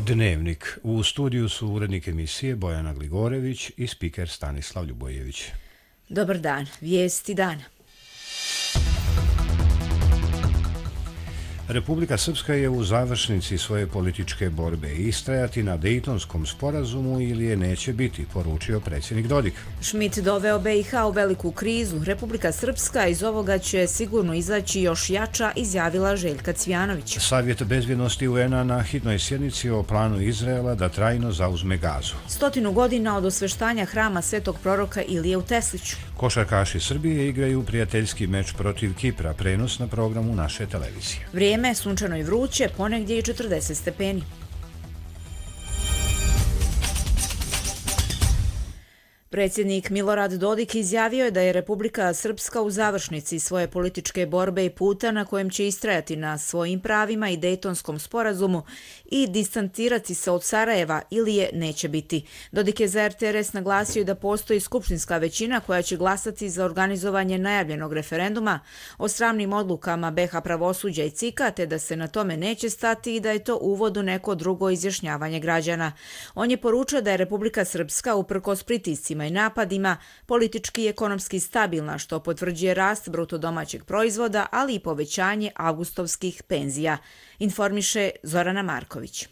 Dnevnik. U studiju su urednik emisije Bojana Gligorević i spiker Stanislav Ljubojević. Dobar dan, vijesti dana. Republika Srpska je u završnici svoje političke borbe. Istrajati na Dejtonskom sporazumu ili je neće biti, poručio predsjednik Dodik. Schmidt doveo BiH u veliku krizu. Republika Srpska iz ovoga će sigurno izaći još jača, izjavila Željka Cvijanović. Savjet bezbjednosti UN-a na hitnoj sjednici o planu Izraela da trajno zauzme Gazu. 100 godina od osveštanja hrama Svetog proroka Ilije u Tesliću. Košarkaši Srbije igraju prijateljski meč protiv Kipra, prenos na programu naše televizije. Vrijeme sunčano i vruće, ponegdje i 40 stepeni. Predsjednik Milorad Dodik izjavio je da je Republika Srpska u završnici svoje političke borbe i puta na kojem će istrajati na svojim pravima i Dejtonskom sporazumu i distancirati se od Sarajeva ili je neće biti. Dodik je za RTRS naglasio da postoji skupštinska većina koja će glasati za organizovanje najavljenog referenduma o sramnim odlukama BiH pravosuđa i CIK-a, te da se na tome neće stati i da je to uvod u neko drugo izjašnjavanje građana. On je poručio da je Republika Srpska uprkos pritiscima i napadima politički i ekonomski stabilna, što potvrđuje rast bruto domaćeg proizvoda, ali i povećanje avgustovskih penzija, informiše Zorana Marković.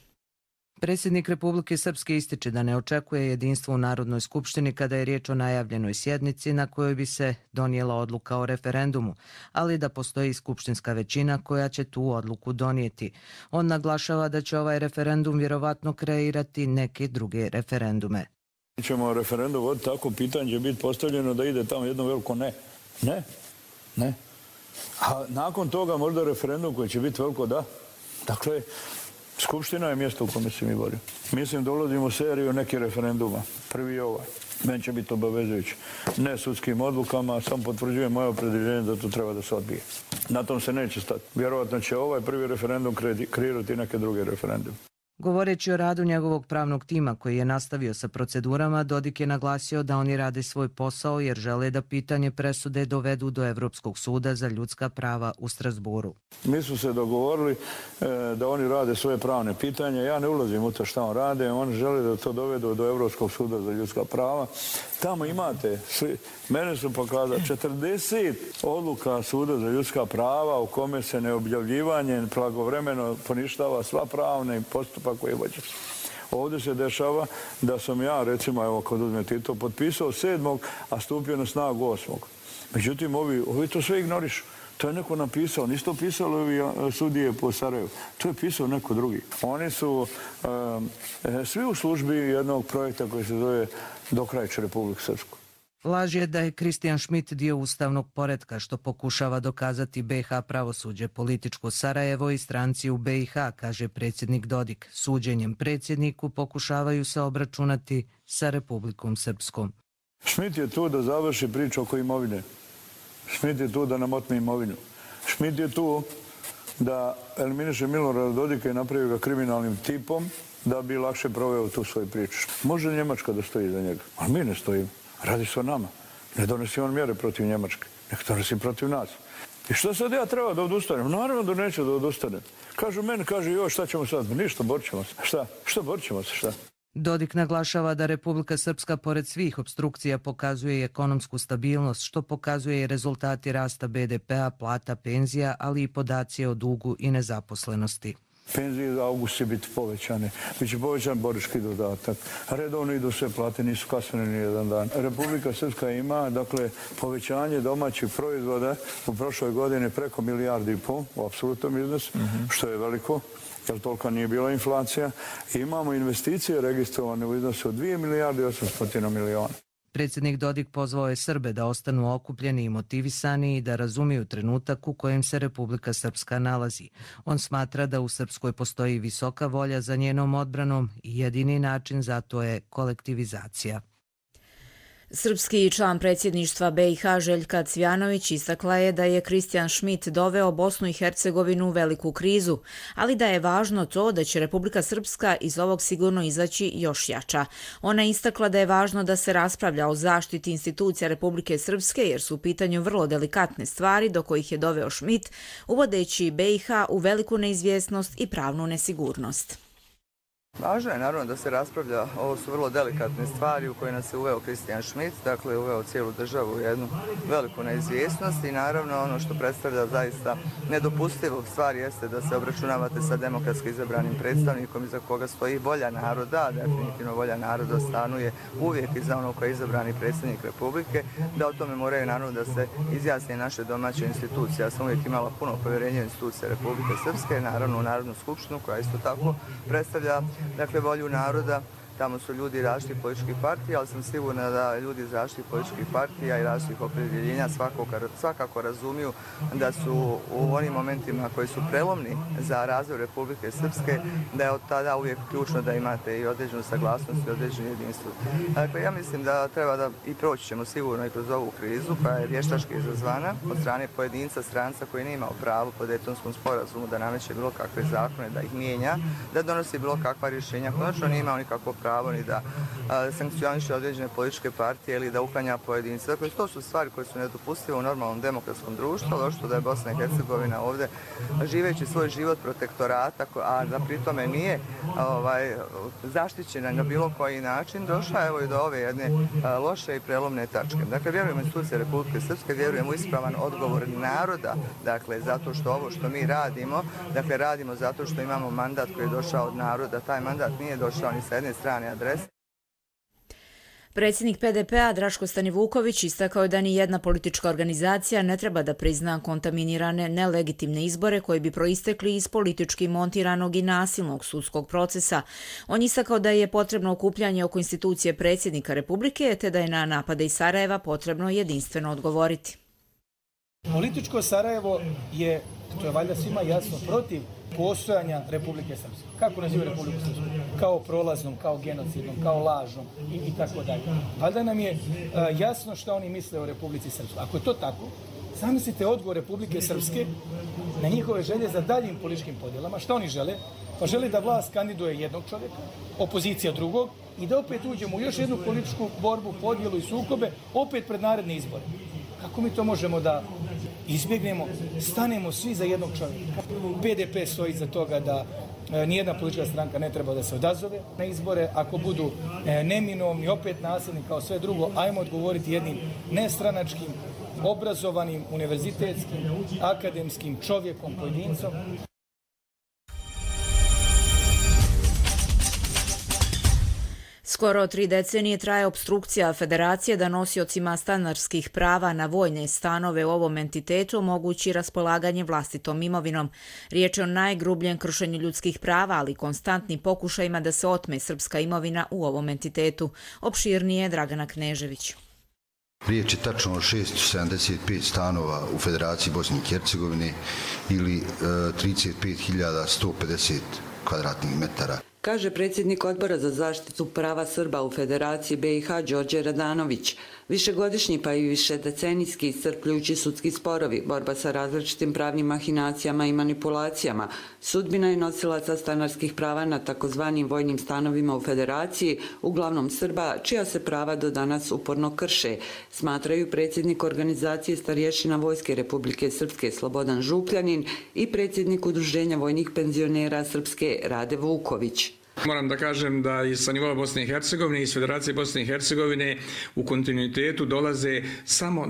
Predsjednik Republike Srpske ističe da ne očekuje jedinstvo u Narodnoj skupštini kada je riječ o najavljenoj sjednici na kojoj bi se donijela odluka o referendumu, ali da postoji skupštinska većina koja će tu odluku donijeti. On naglašava da će ovaj referendum vjerovatno kreirati neke druge referendume. Ćemo referendum voditi, tako pitanje će biti postavljeno da ide tamo jedno veliko ne. Ne. A nakon toga možda referendum koji će biti veliko da. Dakle, Skupština je mjesto u kome se mi borimo. Mislim da ulazimo u seriju nekih referenduma. Prvi je ovaj. Meni će biti obavezujući. Ne sudskim odlukama, sam potvrđujem moje opredjeljenje da to treba da se odbije. Na tom se neće stati. Vjerovatno će ovaj prvi referendum kreirati neke druge referendume. Govoreći o radu njegovog pravnog tima koji je nastavio sa procedurama, Dodik je naglasio da oni rade svoj posao jer žele da pitanje presude dovedu do Evropskog suda za ljudska prava u Strasburu. Mi smo se dogovorili da oni rade svoje pravne pitanje. Ja ne ulazim u to šta on rade. Oni žele da to dovedu do Evropskog suda za ljudska prava. Tamo imate, mene su pokazali 40 odluka suda za ljudska prava u kome se neobjavljivanje blagovremeno poništava sva pravna i postupak koji je vođen. Ovdje se dešava da sam ja, recimo, evo kod uzmeti to, potpisao 7. a stupio na snagu 8. Međutim, ovi to sve ignorišu. To je neko napisao, nisu to pisali ovi sudije po Sarajevu. To je pisao neko drugi. Oni su svi u službi jednog projekta koji se zove Dokrajče Republiku Srpsku. Laž je da je Kristijan Schmidt dio ustavnog poretka što pokušava dokazati BiH pravosuđe, političko Sarajevo i stranci u BiH, kaže predsjednik Dodik. Suđenjem predsjedniku pokušavaju se obračunati sa Republikom Srpskom. Schmidt je tu da završi priču oko imovine. Schmidt je tu da nam otme imovinu. Schmidt je tu da eliminiše Milorada Dodika i napravi ga kriminalnim tipom da bi lakše proveo tu svoju priču. Može Njemačka da stoji za njega, ali mi ne stojimo. Radi se o nama. Ne donesi on mjere protiv Njemačke. Nek donesi protiv nas. I što sad ja treba da odustanem? Naravno da neću da odustanem. Kažu meni, kaže, šta ćemo sad? Ništa, borit ćemo se. Šta borit ćemo se, šta? Dodik naglašava da Republika Srpska pored svih opstrukcija pokazuje i ekonomsku stabilnost, što pokazuje i rezultati rasta BDP-a, plata, penzija, ali i podaci o dugu i nezaposlenosti. Penzije za august će biti povećane. Biće povećan borački dodatak. Redovno idu sve plate, nisu kasnene ni jedan dan. Republika Srpska ima, dakle, povećanje domaćih proizvoda u prošloj godini preko 1,5 milijardi u apsolutnom iznosu, što je veliko, jer tolika nije bila inflacija. I imamo investicije registrovane u iznosu od 2 milijarde i 800 miliona. Predsjednik Dodik pozvao je Srbe da ostanu okupljeni i motivisani i da razumiju trenutak u kojem se Republika Srpska nalazi. On smatra da u Srpskoj postoji visoka volja za njenom odbranom i jedini način za to je kolektivizacija. Srpski član predsjedništva BiH Željka Cvijanović istakla je da je Kristijan Schmidt doveo Bosnu i Hercegovinu u veliku krizu, ali da je važno to da će Republika Srpska iz ovog sigurno izaći još jača. Ona je istakla da je važno da se raspravlja o zaštiti institucija Republike Srpske jer su u pitanju vrlo delikatne stvari do kojih je doveo Schmidt, uvodeći BiH u veliku neizvjesnost i pravnu nesigurnost. Važno je naravno da se raspravlja, ovo su vrlo delikatne stvari u koje nas je uveo Christian Schmidt, dakle uveo cijelu državu u jednu veliku neizvjesnost i naravno ono što predstavlja zaista nedopustivo stvar jeste da se obračunavate sa demokratski izabranim predstavnikom iza koga stoji volja naroda, definitivno volja naroda stanuje uvijek iza onog koji je izabrani predsjednik Republike, da o tome moraju naravno da se izjasne naše domaće institucije. Ja sam uvijek imala puno povjerenja u institucije Republike Srpske, naravno u Narodnu skupštinu koja isto tako predstavlja volju naroda. Tamo su ljudi različitih političkih partija, ali sam sigurna da ljudi iz različitih političkih partija i različitih opredjeljenja svakako razumiju da su u onim momentima koji su prelomni za razvoj Republike Srpske, da je od tada uvijek ključno da imate i određenu saglasnost i određenu jedinstvo. Dakle, ja mislim da treba da i proći ćemo sigurno i kroz ovu krizu koja je vještački izazvana od strane pojedinca, stranca koji nije imao pravo po Dejtonskom sporazumu da nameće bilo kakve zakone, da ih mijenja, da donosi bilo kakva rješenja. Konačno nije imao nikakvo pravo ni da sankcioniše određene političke partije ili da uklanja pojedince. Dakle, to su stvari koje su nedopustive u normalnom demokratskom društvu, ali ošto da je Bosna i Hercegovina ovdje živeći svoj život protektorata, a da pritome nije zaštićena na bilo koji način, došla evo i do ove jedne loše i prelomne tačke. Dakle, vjerujem u institucije Republike Srpske, vjerujem u ispravan odgovor naroda, dakle, zato što ovo što mi radimo, dakle, radimo zato što imamo mandat koji je došao od naroda. Taj mandat nije došao ni sa jedne strane adrese. Predsjednik PDP-a Draško Stanivuković istakao je da ni jedna politička organizacija ne treba da prizna kontaminirane nelegitimne izbore koji bi proistekli iz politički montiranog i nasilnog sudskog procesa. On istakao da je potrebno okupljanje oko institucije predsjednika Republike, te da je na napade iz Sarajeva potrebno jedinstveno odgovoriti. Političko Sarajevo je, to je valjda svima jasno, protiv postojanja Republike Srpske. Kako naziva Republiku Srpsku? Kao prolaznom, kao genocidnom, kao lažnom i tako dalje. Valjda nam je jasno što oni misle o Republici Srpskoj. Ako je to tako, zamislite odgovor Republike Srpske na njihove želje za daljim političkim podjelama. Šta oni žele? Pa žele da vlast kandiduje jednog čovjeka, opozicija drugog i da opet uđemo u još jednu političku borbu, podjelu i sukobe, opet pred naredne izbore. Kako mi to možemo da izbjegnemo? Stanemo svi za jednog čovjeka. PDP stoji za toga da nijedna politička stranka ne treba da se odazove na izbore. Ako budu neminovni, opet nasilni kao sve drugo, ajmo odgovoriti jednim nestranačkim, obrazovanim, univerzitetskim, akademskim čovjekom, pojedincom. Skoro 3 decenije traje opstrukcija Federacije da nosiocima stanarskih prava na vojne stanove u ovom entitetu omogući raspolaganje vlastitom imovinom. Riječ je o najgrubljem kršenju ljudskih prava, ali konstantnim pokušajima da se otme srpska imovina u ovom entitetu. Opširnije Dragana Knežević. Riječ je tačno o 675 stanova u Federaciji Bosne i Hercegovine ili 35.150 kvadratnih metara. Kaže predsjednik Odbora za zaštitu prava Srba u Federaciji BiH Đorđe Radanović. Višegodišnji pa i višedecenijski iscrpljujući sudski sporovi, borba sa različitim pravnim mahinacijama i manipulacijama, sudbina je nosilaca stanarskih prava na takozvanim vojnim stanovima u Federaciji, uglavnom Srba, čija se prava do danas uporno krše, smatraju predsjednik organizacije starješina Vojske Republike Srpske Slobodan Župljanin i predsjednik Udruženja vojnih penzionera Srpske Rade Vuković. Moram da kažem da i sa nivoa Bosne i Hercegovine i iz Federacije Bosne i Hercegovine u kontinuitetu dolaze samo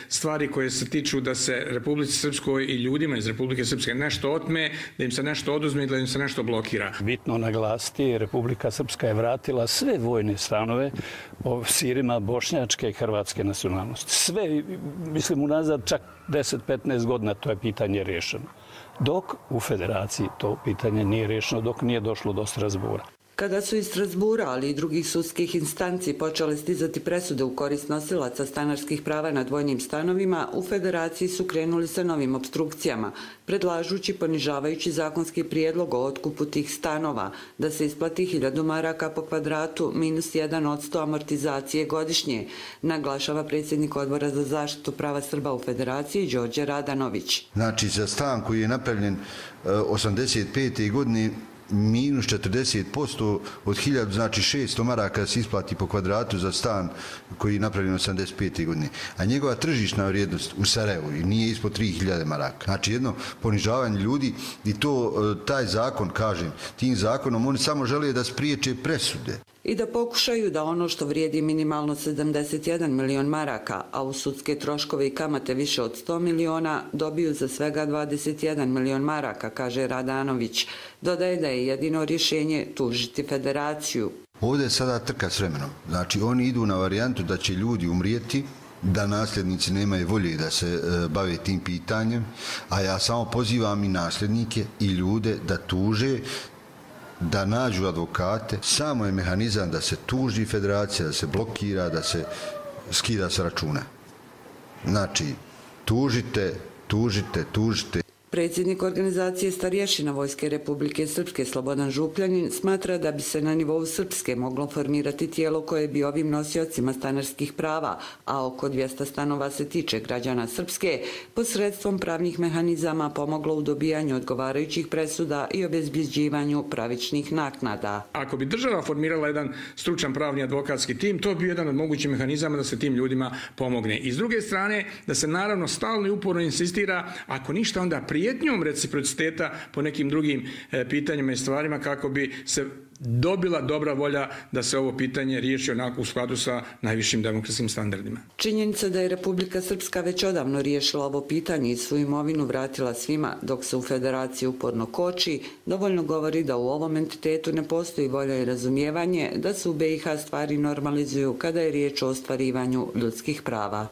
stvari koje se tiču da se Republici Srpskoj i ljudima iz Republike Srpske nešto otme, da im se nešto oduzme i da im se nešto blokira. Bitno naglasiti, Republika Srpska je vratila sve vojne stanove Sirima bošnjačke i hrvatske nacionalnosti. Sve, mislim, unazad čak 10-15 godina to je pitanje rješeno. Dok u Federaciji to pitanje nije rješeno, dok nije došlo do Strasbura. Kada su iz Strasbura, ali i drugih sudskih instanci počele stizati presude u korist nosilaca stanarskih prava nad vojnim stanovima, u Federaciji su krenuli sa novim opstrukcijama, predlažući ponižavajući zakonski prijedlog o otkupu tih stanova, da se isplati 1000 maraka po kvadratu minus 1% amortizacije godišnje, naglašava predsjednik Odbora za zaštitu prava Srba u Federaciji Đorđe Radanović. Znači, za stan koji je napravljen 85. godine minus 40% od 1000, znači 600 maraka se isplati po kvadratu za stan koji je napravljen 85. godine. A njegova tržišna vrijednost u Sarajevu nije ispod 3000 maraka. Znači jedno ponižavanje ljudi i to taj zakon, kažem, tim zakonom oni samo žele da spriječe presude. I da pokušaju da ono što vrijedi minimalno 71 milion maraka, a u sudske troškove i kamate više od 100 miliona, dobiju za svega 21 milion maraka, kaže Radanović. Dodaje da je jedino rješenje tužiti federaciju. Ovdje je sada trka s vremenom. Znači oni idu na varijantu da će ljudi umrijeti, da nasljednici nemaju volje da se bave tim pitanjem, a ja samo pozivam i nasljednike i ljude da tuže, da nađu advokate. Samo je mehanizam da se tuži federacija, da se blokira, da se skida sa računa. Znači, tužite. Predsjednik organizacije starješina Vojske Republike Srpske Slobodan Župljanin smatra da bi se na nivou Srpske moglo formirati tijelo koje bi ovim nosiocima stanarskih prava, a oko 200 stanova se tiče građana Srpske, posredstvom pravnih mehanizama pomoglo u dobijanju odgovarajućih presuda i obezbjeđivanju pravičnih naknada. Ako bi država formirala jedan stručan pravni advokatski tim, to bi jedan od mogućih mehanizama da se tim ljudima pomogne. I s druge strane, da se naravno stalno i uporno insistira, ako ništa onda prijetnjom reciprociteta po nekim drugim pitanjima i stvarima kako bi se dobila dobra volja da se ovo pitanje riješi onako u skladu sa najvišim demokratskim standardima. Činjenica da je Republika Srpska već odavno riješila ovo pitanje i svoju imovinu vratila svima dok se u federaciji uporno koči, dovoljno govori da u ovom entitetu ne postoji volja i razumijevanje da se u BiH stvari normalizuju kada je riječ o ostvarivanju ljudskih prava.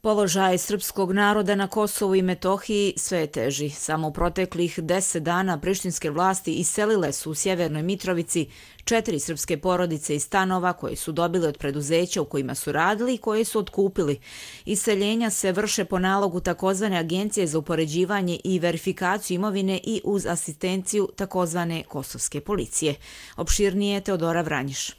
Položaj srpskog naroda na Kosovu i Metohiji sve je teži. Samo u proteklih 10 dana prištinske vlasti iselile su u Sjevernoj Mitrovici 4 srpske porodice iz stanova koje su dobili od preduzeća u kojima su radili i koje su otkupili. Iseljenja se vrše po nalogu takozvane Agencije za upoređivanje i verifikaciju imovine i uz asistenciju takozvane kosovske policije. Opširnije Teodora Vranjiš.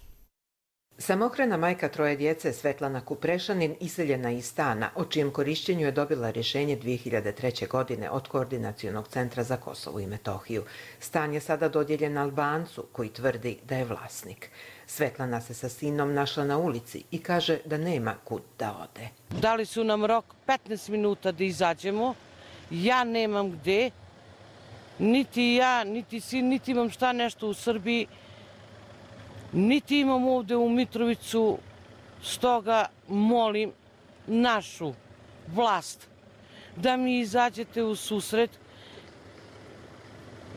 Samohrana majka troje djece Svetlana Kuprešanin iseljena iz stana, o čijem korišćenju je dobila rješenje 2003. godine od Koordinacionog centra za Kosovo i Metohiju. Stan je sada dodijeljen Albancu, koji tvrdi da je vlasnik. Svetlana se sa sinom našla na ulici i kaže da nema kud da ode. Dali su nam rok 15 minuta da izađemo. Ja nemam gde. Niti ja, niti sin, niti imam šta nešto u Srbiji. Niti imam ovdje u Mitrovicu, stoga molim našu vlast da mi izađete u susret,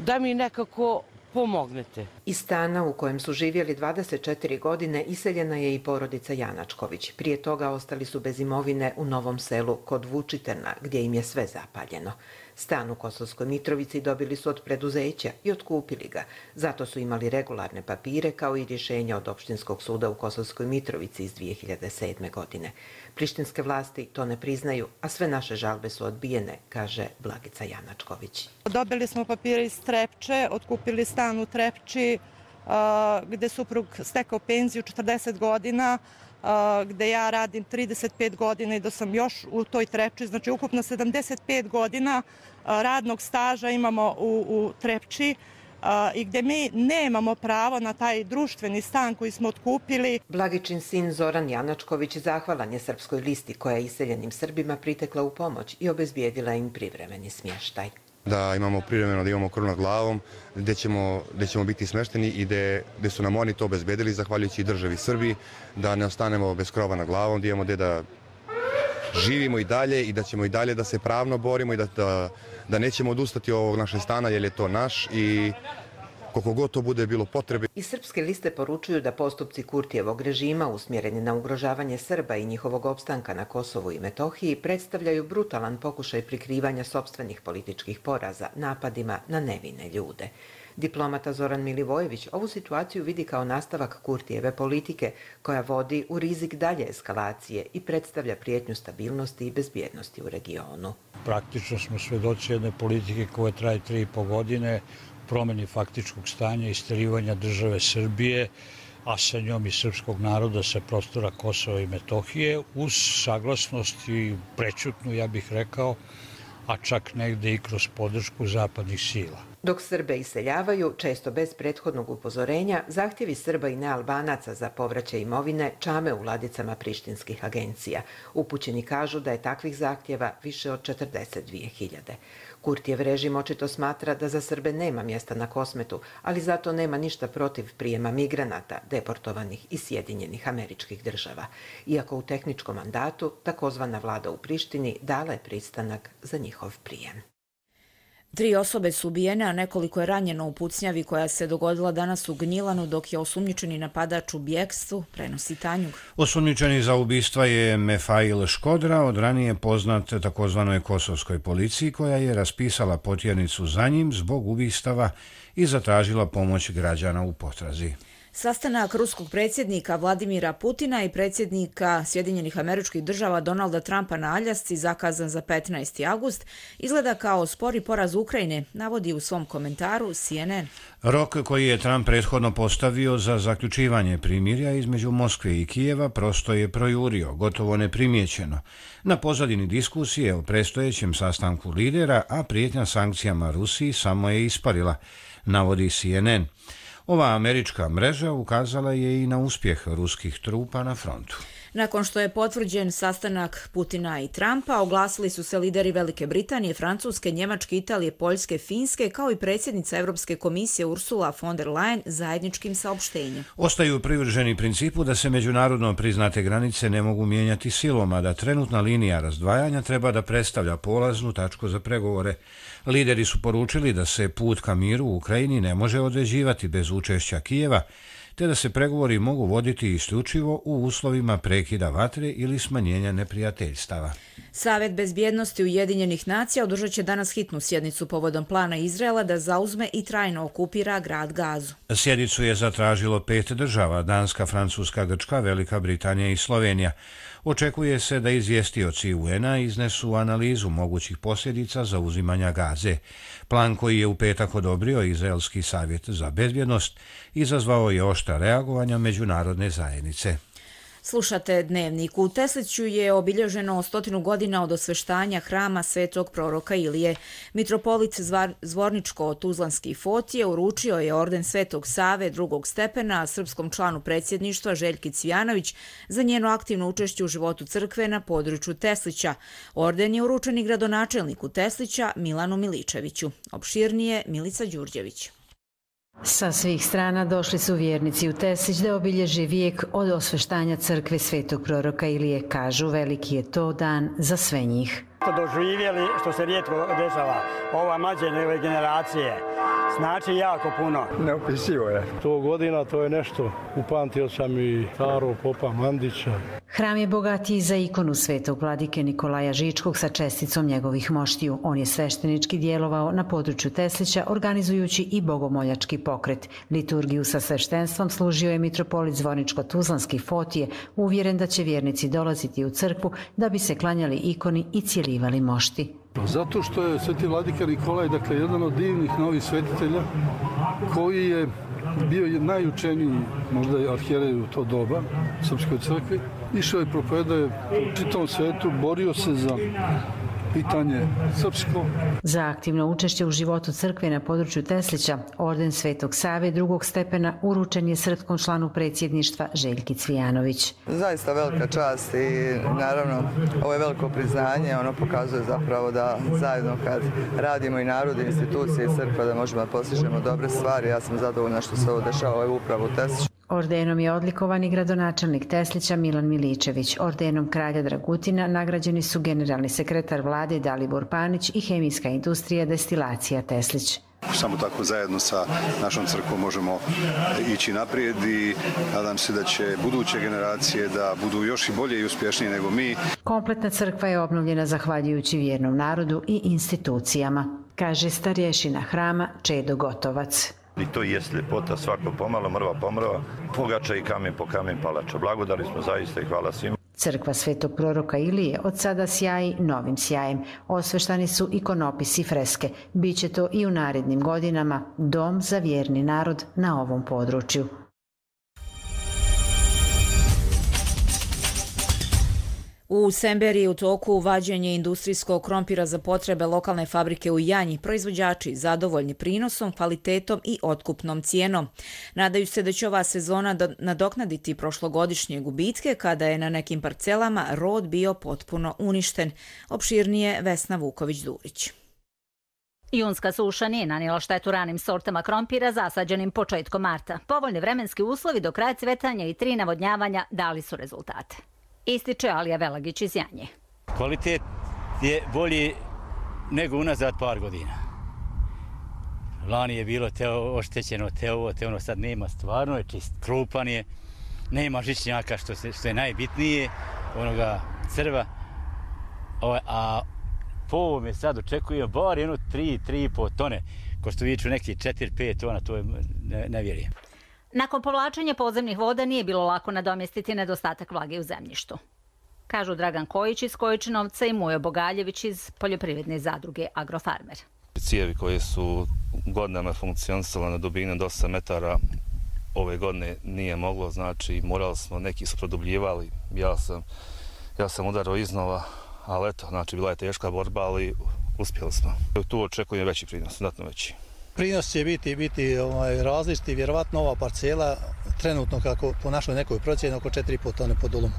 da mi nekako pomognete. Iz stana u kojem su živjeli 24 godine iseljena je i porodica Janačković. Prije toga ostali su bez imovine u Novom Selu kod Vučitrna, gdje im je sve zapaljeno. Stan u Kosovskoj Mitrovici dobili su od preduzeća i otkupili ga. Zato su imali regularne papire kao i rješenja od Opštinskog suda u Kosovskoj Mitrovici iz 2007. godine. Prištinske vlasti to ne priznaju, a sve naše žalbe su odbijene, kaže Blagica Janačković. Dobili smo papire iz Trepče, otkupili stan u Trepči gde suprug stekao penziju 40 godina, gde ja radim 35 godina i da sam još u toj Trepči, znači ukupno 75 godina radnog staža imamo u Trepči i gde mi nemamo pravo na taj društveni stan koji smo otkupili. Blagičin sin Zoran Janačković zahvalan je Srpskoj listi koja je iseljenim Srbima pritekla u pomoć i obezbijedila im privremeni smještaj. Da imamo privremeno, da imamo krov nad glavom, gde ćemo biti smešteni i gde su nam oni to obezbedili, zahvaljujući državi Srbiji, da ne ostanemo bez krova nad glavom, da imamo gde da živimo i dalje i da ćemo i dalje da se pravno borimo i da nećemo odustati od ovog našeg stana, jer je to naš i koliko god to bude bilo potrebe. Iz Srpske liste poručuju da postupci Kurtijevog režima usmjereni na ugrožavanje Srba i njihovog opstanka na Kosovu i Metohiji predstavljaju brutalan pokušaj prikrivanja sopstvenih političkih poraza napadima na nevine ljude. Diplomata Zoran Milivojević ovu situaciju vidi kao nastavak Kurtijeve politike koja vodi u rizik dalje eskalacije i predstavlja prijetnju stabilnosti i bezbjednosti u regionu. Praktično smo svedoci jedne politike koja traje 3,5 godine, promjeni faktičkog stanja i isterivanja države Srbije, a sa njom i srpskog naroda sa prostora Kosova i Metohije, uz saglasnost i prećutnu, ja bih rekao, a čak negde i kroz podršku zapadnih sila. Dok Srbe iseljavaju, često bez prethodnog upozorenja, zahtjevi Srba i nealbanaca za povraćaj imovine čame u ladicama prištinskih agencija. Upućeni kažu da je takvih zahtjeva više od 42.000. Kurtijev režim očito smatra da za Srbe nema mjesta na Kosmetu, ali zato nema ništa protiv prijema migranata, deportovanih iz Sjedinjenih Američkih Država. Iako u tehničkom mandatu, takozvana vlada u Prištini dala je pristanak za njihov prijem. 3 osobe su ubijene, a nekoliko je ranjeno u pucnjavi koja se dogodila danas u Gnjilanu, dok je osumnjičeni napadač u bjekstvu, prenosi Tanjug. Osumnjičeni za ubistva je Mefail Škodra, od ranije poznat takozvanoj kosovskoj policiji, koja je raspisala potjernicu za njim zbog ubistava i zatražila pomoć građana u potrazi. Sastanak ruskog predsjednika Vladimira Putina i predsjednika Sjedinjenih Američkih Država Donalda Trumpa na Aljasci, zakazan za 15. avgust, izgleda kao spori poraz Ukrajine, navodi u svom komentaru CNN. Rok koji je Trump prethodno postavio za zaključivanje primirja između Moskve i Kijeva prosto je projurio, gotovo neprimjećeno, na pozadini diskusije o predstojećem sastanku lidera, a prijetnja sankcijama Rusiji samo je isparila, navodi CNN. Ova američka mreža ukazala je i na uspjeh ruskih trupa na frontu. Nakon što je potvrđen sastanak Putina i Trumpa, oglasili su se lideri Velike Britanije, Francuske, Njemačke, Italije, Poljske, Finske, kao i predsjednica Europske komisije Ursula von der Leyen zajedničkim saopštenjem. Ostaju privrženi principu da se međunarodno priznate granice ne mogu mijenjati silom, a da trenutna linija razdvajanja treba da predstavlja polaznu tačku za pregovore. Lideri su poručili da se put ka miru u Ukrajini ne može određivati bez učešća Kijeva, te da se pregovori mogu voditi isključivo u uslovima prekida vatre ili smanjenja neprijateljstava. Savet bezbjednosti Ujedinjenih nacija održat će danas hitnu sjednicu povodom plana Izraela da zauzme i trajno okupira grad Gazu. Sjednicu je zatražilo 5 država, Danska, Francuska, Grčka, Velika Britanija i Slovenija. Očekuje se da izvjestioci UN-a iznesu analizu mogućih posljedica zauzimanja Gaze. Plan koji je u petak odobrio Izraelski savjet za bezbjednost izazvao je oštra reagovanja međunarodne zajednice. Slušate Dnevnik. U Tesliću je obilježeno 100 godina od osveštanja hrama svetog proroka Ilije. Mitropolit Zvorničko-Tuzlanski Fotije uručio je orden Svetog Save drugog stepena srpskom članu predsjedništva Željki Cvijanović za njeno aktivno učešće u životu crkve na području Teslića. Orden je uručen i gradonačelniku Teslića Milanu Miličeviću. Opširnije Milica Đurđević. Sa svih strana došli su vjernici u Teslić da obilježe vijek od osveštanja crkve svetog proroka Ilije. Kažu, veliki je to dan za sve njih. Doživjeli, što se rijetko dešava, ova mlađe generacije, znači jako puno. Neopisivo je. 100 godina, to je nešto. Upamtio sam i starog popa Mandića. Hram je bogatiji za ikonu svetog vladike Nikolaja Žičkog sa česticom njegovih moštiju. On je sveštenički djelovao na području Teslića, organizujući i bogomoljački pokret. Liturgiju sa sveštenstvom služio je mitropolit Zvorničko-Tuzlanski Fotije, uvjeren da će vjernici dolaziti u crkvu da bi se klanjali ikoni i cijelivali mošti. Zato što je sveti vladika Nikolaj, dakle, jedan od divnih novih svetitelja koji je bio najučeniji, možda i arhijerej u to doba, Srpskoj crkvi. Išao je, propovedao u čitavom svetu, borio se za pitanje srpsko. Za aktivno učešće u životu crkve na području Teslića, orden Svetog Save drugog stepena uručen je srpskom članu predsjedništva Željki Cvijanović. Zaista velika čast i naravno ovo je veliko priznanje, ono pokazuje zapravo da zajedno kad radimo i narod, institucije i crkva da možemo da postižemo dobre stvari. Ja sam zadovoljna što se ovo dešava upravo u Tesliću. Ordenom je odlikovan i gradonačelnik Teslića Milan Miličević. Ordenom kralja Dragutina nagrađeni su generalni sekretar vlade Dalibor Panić i hemijska industrija Destilacija Teslić. Samo tako zajedno sa našom crkvom možemo ići naprijed i nadam se da će buduće generacije da budu još i bolje i uspješnije nego mi. Kompletna crkva je obnovljena zahvaljujući vjernom narodu i institucijama, kaže starješina hrama Čedo Gotovac. I to jest ljepota, svako pomalo, mrva po mrva, pogača i kamen po kamen palača. Blagodali smo zaista i hvala svima. Crkva svetog proroka Ilije od sada sjaji novim sjajem. Osveštani su ikonopisi i freske. Biće to i u narednim godinama dom za vjerni narod na ovom području. U Semberiji u toku vađenje industrijskog krompira za potrebe lokalne fabrike u Janji, proizvođači zadovoljni prinosom, kvalitetom i otkupnom cijenom. Nadaju se da će ova sezona nadoknaditi prošlogodišnje gubitke kada je na nekim parcelama rod bio potpuno uništen. Opširnije Vesna Vuković-Durić. Junska suša nije nanijela štetu ranim sortama krompira zasađenim početkom marta. Povoljni vremenski uslovi do kraja cvetanja i 3 navodnjavanja dali su rezultate. Ističe Alija Velagić iz Janje. Kvalitet je bolji nego unazad par godina. Lani je bilo te oštećeno, te ono sad nema, stvarno je čist, krupan je, nema žičnjaka što je najbitnije, onoga crva, a po ovome sad očekujem bar 3,5 tone, ko što viču neki 4-5 tona, to je ne vjerujem. Nakon povlačenja podzemnih voda nije bilo lako nadomjestiti nedostatak vlage u zemljištu. Kažu Dragan Kojić iz Kojičinovca i Mujo Bogaljević iz poljoprivredne zadruge Agrofarmer. Cijevi koje su godinama funkcionisale na dubini do 8 metara ove godine nije moglo, znači morali smo, neki su produbljivali, ja sam udarao iznova, ali eto, znači bila je teška borba, ali uspjeli smo. Tu očekujem veći prinos, znatno veći. Prinos će biti različiti, vjerovatno ova parcela trenutno kako po našoj nekoj procjeni oko 4,5 tone po dolumu.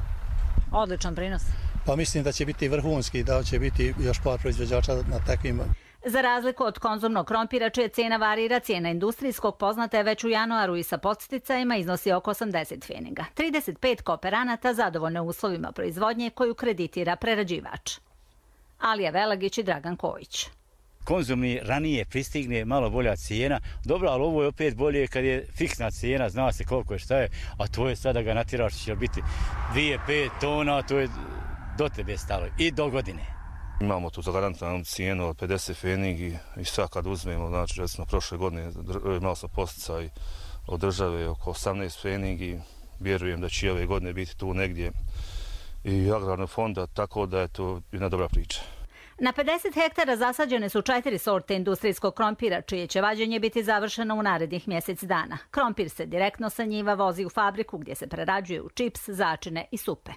Odličan prinos. Pa mislim da će biti vrhunski, da će biti još par proizvođača na takvim. Za razliku od konzumnog krompira, čija cijena varira, cijena industrijskog poznata je već u januaru i sa podsticajima iznosi oko 80 pfeniga. 35 kooperanata zadovoljno uslovima proizvodnje koju kreditira prerađivač. Alija Velagić i Dragan Kojić. Konzumni ranije pristigne malo bolja cijena, dobro, ali ovo je opet bolje kad je fiksna cijena, zna se koliko je šta je, a to je sada ga natiraš, će biti 2-5 tona, to je do tebe stalo i do godine. Imamo tu zagarantovanu cijenu od 50 pfenig i sad kad uzmemo, znači recimo prošle godine imali smo posticaj od države oko 18 pfenig i vjerujem da će ove godine biti tu negdje i agrarnog fonda, tako da je to jedna dobra priča. Na 50 hektara zasađene su 4 sorte industrijskog krompira, čije će vađenje biti završeno u narednih mjesec dana. Krompir se direktno sa njiva vozi u fabriku gdje se prerađuje u čips, začine i supe.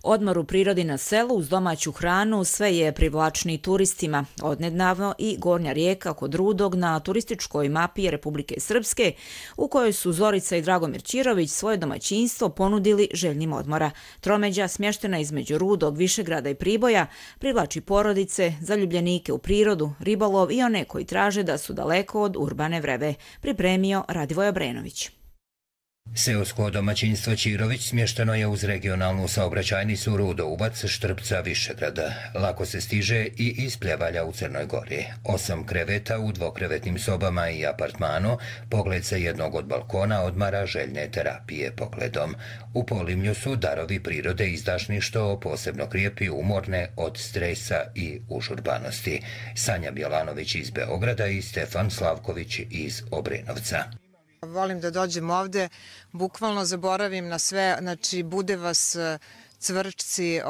Odmor u prirodi na selu uz domaću hranu sve je privlačniji turistima. Odnedavno i Gornja Rijeka kod Rudog na turističkoj mapi Republike Srpske, u kojoj su Zorica i Dragomir Ćirović svoje domaćinstvo ponudili željnim odmora. Tromeđa, smještena između Rudog, Višegrada i Priboja, privlači porodice, zaljubljenike u prirodu, ribolov i one koji traže da su daleko od urbane vrebe. Pripremio Radivoj Obrenović. Seosko domaćinstvo Ćirović smješteno je uz regionalnu saobraćajnicu Rudo-Ubac, Štrpca, Višegrada. Lako se stiže i iz Pljevalja u Crnoj Gori. 8 kreveta u dvokrevetnim sobama i apartmanu, pogled sa jednog od balkona odmara željne terapije pogledom. U Polimlju su darovi prirode izdašni što posebno krijepi umorne od stresa i užurbanosti. Sanja Bjelanović iz Beograda i Stefan Slavković iz Obrenovca. Volim da dođem ovde, bukvalno zaboravim na sve, znači bude vas cvrčci,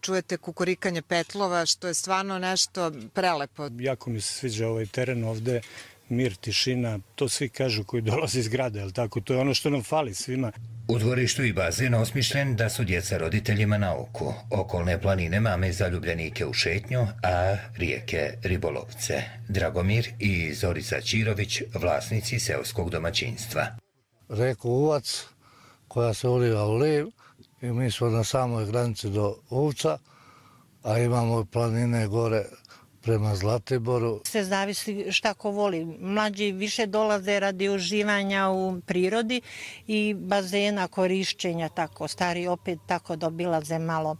čujete kukurikanje petlova, što je stvarno nešto prelepo. Jako mi se sviđa ovaj teren ovde, mir, tišina, to svi kažu koji dolaze iz grada, jel tako? To je ono što nam fali svima. U dvorištu i bazen osmišljen da su djeca roditeljima na oku. Okolne planine mame zaljubljenike u šetnju, a rijeke ribolovce. Dragomir i Zorica Ćirović, vlasnici seoskog domaćinstva. Reku Uvac, koja se uliva u liv i mi smo na samoj granici do Uvca, a imamo planine gore prema Zlatiboru. Se zavisi šta ko voli. Mlađi više dolaze radi uživanja u prirodi i bazena, korišćenja, tako. Stari opet tako dobilaze malo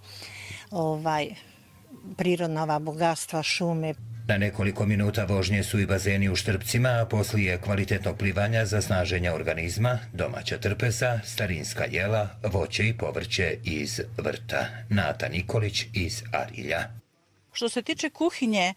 prirodna bogatstva, šume. Na nekoliko minuta vožnje su i bazeni u Štrpcima, a poslije kvalitetnog plivanja za snaženja organizma, domaća trpeza, starinska jela, voće i povrće iz vrta. Nata Nikolić iz Arilja. Što se tiče kuhinje,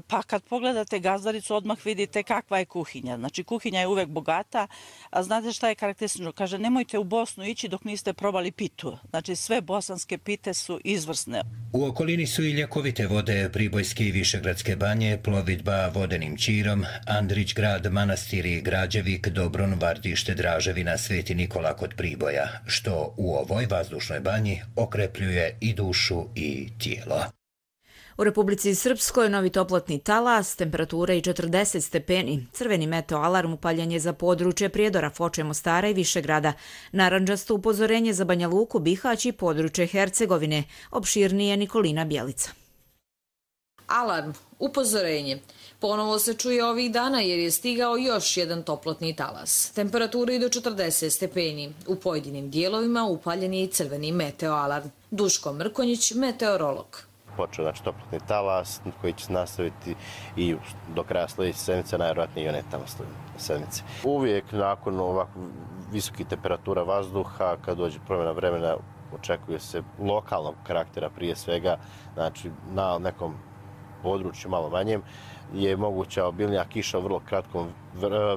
pa kad pogledate Gazdaricu odmah vidite kakva je kuhinja. Znači kuhinja je uvek bogata, a znate šta je karakteristično? Kaže, nemojte u Bosnu ići dok niste probali pitu. Znači sve bosanske pite su izvrsne. U okolini su i ljekovite vode, Pribojske i Višegradske banje, plovidba vodenim Ćirom, Andrić grad, manastiri Građevik, Dobron, Vardište, Draževina, Sveti Nikola kod Priboja, što u ovoj vazdušnoj banji okrepljuje i dušu i tijelo. U Republici Srpskoj novi toplotni talas, temperatura i 40 stepeni. Crveni meteo alarm upaljen je za područje Prijedora, Foče, Mostara i Višegrada. Narandžasto upozorenje za Banja Luku, Bihać i područje Hercegovine. Opširnije Nikolina Bjelica. Alarm, upozorenje. Ponovo se čuje ovih dana jer je stigao još jedan toplotni talas. Temperatura i do 40 stepeni. U pojedinim dijelovima upaljen je i crveni meteo alarm. Duško Mrkonjić, meteorolog. Počeo toplotni talas koji će se nastaviti i do kraja sljedeće sedmice, najvjerojatnije i one tamo sedmice. Uvijek nakon ovako visokih temperatura vazduha, kad dođe promjena vremena, očekuje se lokalnog karaktera prije svega, znači na nekom području malo manjem, je moguća obilnija kiša u vrlo kratkom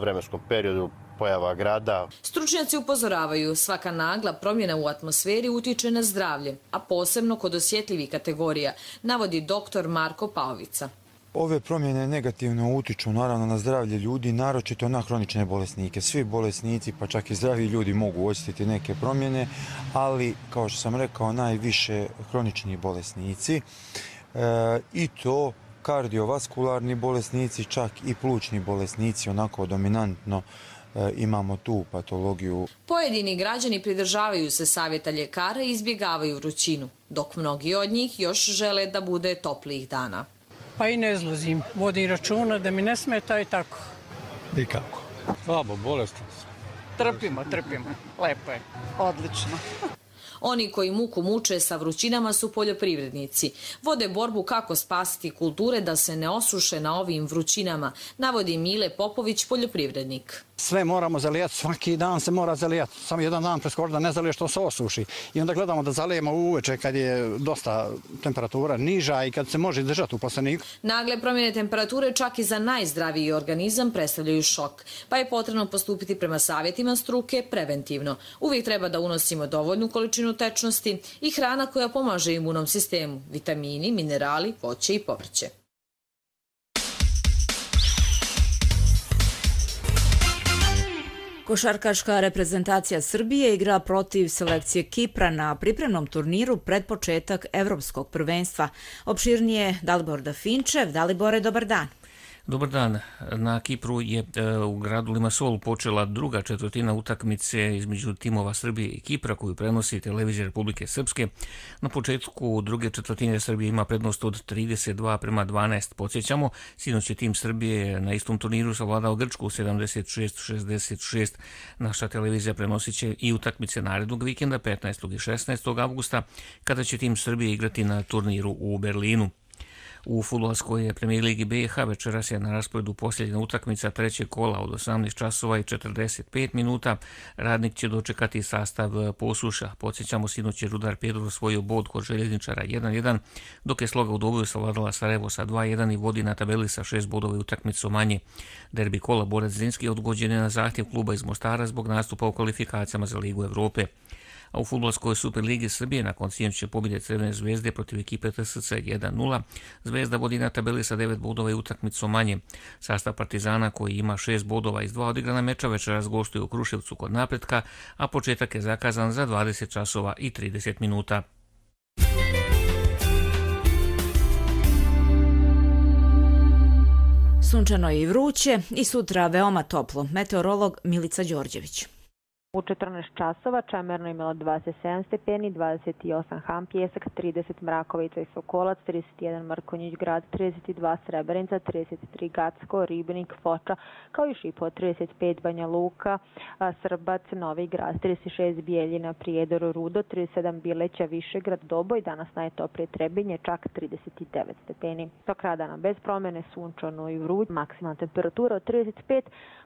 vremenskom periodu, pojava grada. Stručnjaci upozoravaju, svaka nagla promjena u atmosferi utiče na zdravlje, a posebno kod osjetljivih kategorija, navodi dr. Marko Paovica. Ove promjene negativno utiču naravno na zdravlje ljudi, naročito na hronične bolesnike. Svi bolesnici, pa čak i zdravi ljudi mogu osjetiti neke promjene, ali kao što sam rekao, najviše hronični bolesnici i to kardiovaskularni bolesnici, čak i plućni bolesnici, onako dominantno imamo tu patologiju. Pojedini građani pridržavaju se savjeta ljekara i izbjegavaju vrućinu, dok mnogi od njih još žele da bude toplijih dana. Pa i ne izlazim, vodim računa da mi ne smeta i tako. Nikako. Slabo, bolestan sam. Trpimo, lepo je. Odlično. Oni koji muku muče sa vrućinama su poljoprivrednici. Vode borbu kako spasiti kulture da se ne osuše na ovim vrućinama, navodi Mile Popović, poljoprivrednik. Sve moramo zalijati, svaki dan se mora zalijati. Samo jedan dan preskoči da ne zaliješ, što se osuši. I onda gledamo da zalijemo uveče kad je dosta temperatura niža i kad se može držati u plasteniku. Nagle promjene temperature čak i za najzdraviji organizam predstavljaju šok, pa je potrebno postupiti prema savjetima struke preventivno. Uvijek treba da unosimo dovoljnu količinu tečnosti i hrana koja pomaže imunom sistemu, vitamini, minerali, voće i povrće. Košarkaška reprezentacija Srbije igra protiv selekcije Kipra na pripremnom turniru pred početak Evropskog prvenstva. Opširnije Dalibor Dafinčev. Dalibore, dobar dan. Dobar dan. Na Kipru je u gradu Limassolu počela druga četvrtina utakmice između timova Srbije i Kipra koju prenosi televizija Republike Srpske. Na početku druge četvrtine Srbije ima prednost od 32:12. Podsjećamo, sinoć je tim Srbije na istom turniru savladao Grčku 76-66. Naša televizija prenosit će i utakmice narednog vikenda 15. i 16. avgusta kada će tim Srbije igrati na turniru u Berlinu. U fudbalskoj premijer ligi BiH večeras je na rasporedu posljednja utakmica trećeg kola od 18 časova i 45 minuta. Radnik će dočekati sastav Posuša. Podsjećamo, sinoć je Rudar Pjedor osvojio bod kod Željezničara 1-1, dok je Sloga u Doboju savladala Sarajevo sa 2-1 i vodi na tabeli sa 6 bodova i utakmicu manje. Derbi kola Borac Zrinski odgođen je na zahtjev kluba iz Mostara zbog nastupa u kvalifikacijama za Ligu Evrope. A u fudbalskoj Superligi Srbije nakon sinoćne pobjede Crvene zvezde protiv ekipe TSC 1-0, Zvezda vodi na tabeli sa 9 bodova i utakmicu manje. Sastav Partizana, koji ima 6 bodova iz 2 odigrana meča, večeras gostuje u Kruševcu kod Napretka, a početak je zakazan za 20 časova i 30 minuta. Sunčano je i vruće i sutra veoma toplo. Meteorolog Milica Đorđević. U 14 časova Čemerno imalo 27 stepeni, 28 Ham Pjesak, 30 Mrakovica i Sokolac, 31 Mrkonjić grad, 32 Srebrenica, 33 Gacko, Ribnik, Foča, kao i Šipo, 35 Banja Luka, Srbac, Novi grad, 36 Bijeljina, Prijedor, Rudo, 37 Bileća, Višegrad, Doboj, danas najtoplije Trebinje, čak 39 stepeni. Tok radana bez promjene, sunčano i vruć, maksimalna temperatura od 35,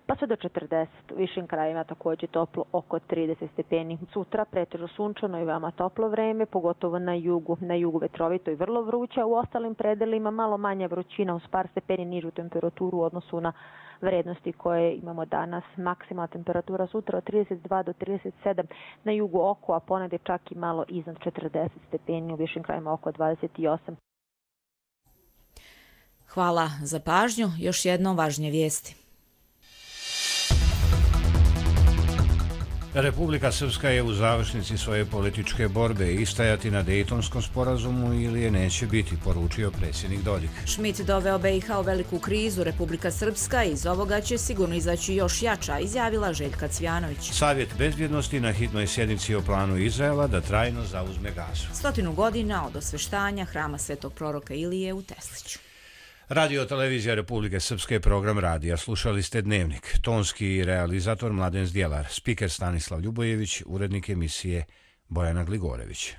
pa sve do 40. U višim krajevima također toplo oko 30 stepeni. Sutra pretežno sunčano i veoma toplo vreme, pogotovo na jugu vetrovito i vrlo vruće, u ostalim predelima malo manja vrućina uz par stepeni nižu temperaturu u odnosu na vrednosti koje imamo danas. Maksimalna temperatura sutra od 32 do 37 na jugu oko, a ponegde čak i malo iznad 40 stepeni, u višim krajevima oko 28. Hvala za pažnju. Još jednom važnije vijesti. Republika Srpska je u završnici svoje političke borbe. Istajati na Dejtonskom sporazumu ili je neće biti, poručio predsjednik Dodik. Schmidt doveo BiH u veliku krizu. Republika Srpska iz ovoga će sigurno izaći još jača, izjavila Željka Cvjanović. Savjet bezbjednosti na hitnoj sjednici o planu Izraela da trajno zauzme Gazu. 100 godina od osveštanja hrama Svetog proroka Ilije u Tesliću. Radio televizija Republike Srpske, program radija. Slušali ste Dnevnik. Tonski realizator Mladen Zdjelar, spiker Stanislav Ljubojević, urednik emisije Bojana Gligorević.